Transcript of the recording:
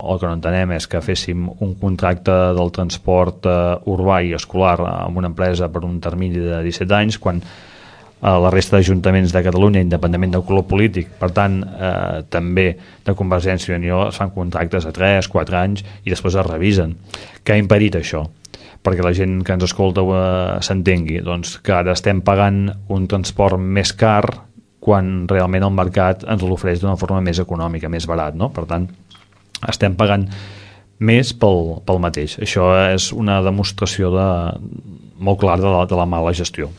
El que no entenem és que féssim un contracte del transport urbà i escolar amb una empresa per un termini de 17 anys, quan la resta d'ajuntaments de Catalunya, independentment del color polític, per tant, també de Convergència i Unió, es fan contractes a 3, 4 anys i després es revisen. Què ha impedit això? Perquè la gent que ens escolta s'entengui, doncs que ara estem pagant un transport més car quan realment el mercat ens l'ofereix d'una forma més econòmica, més barat, no? Per tant, estem pagant més pel mateix. Això és una demostració molt clara de la mala gestió.